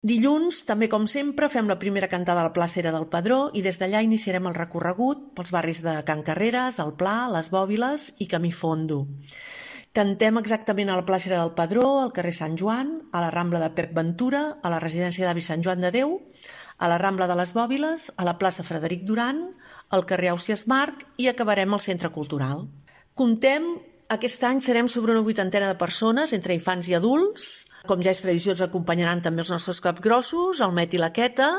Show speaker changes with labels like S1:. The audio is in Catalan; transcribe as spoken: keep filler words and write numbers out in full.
S1: Dilluns, també com sempre, fem la primera cantada a la plaça Era del Pedró i des d'allà iniciarem el recorregut pels barris de Can Carreres, el Pla, les Bòbiles i Camí Fondo. Cantem exactament a la plaça Era del Pedró, al carrer Sant Joan, a la Rambla de Pep Ventura, a la residència d'avi Sant Joan de Déu, a la Rambla de les Bòbiles, a la plaça Frederic Duran, al carrer Ausiàs Marc i acabarem al Centre Cultural. Comptem, aquest any serem sobre una vuitantena de persones, entre infants i adults. Com ja és tradició, ens acompanyaran també els nostres capgrossos, el Met i la Queta,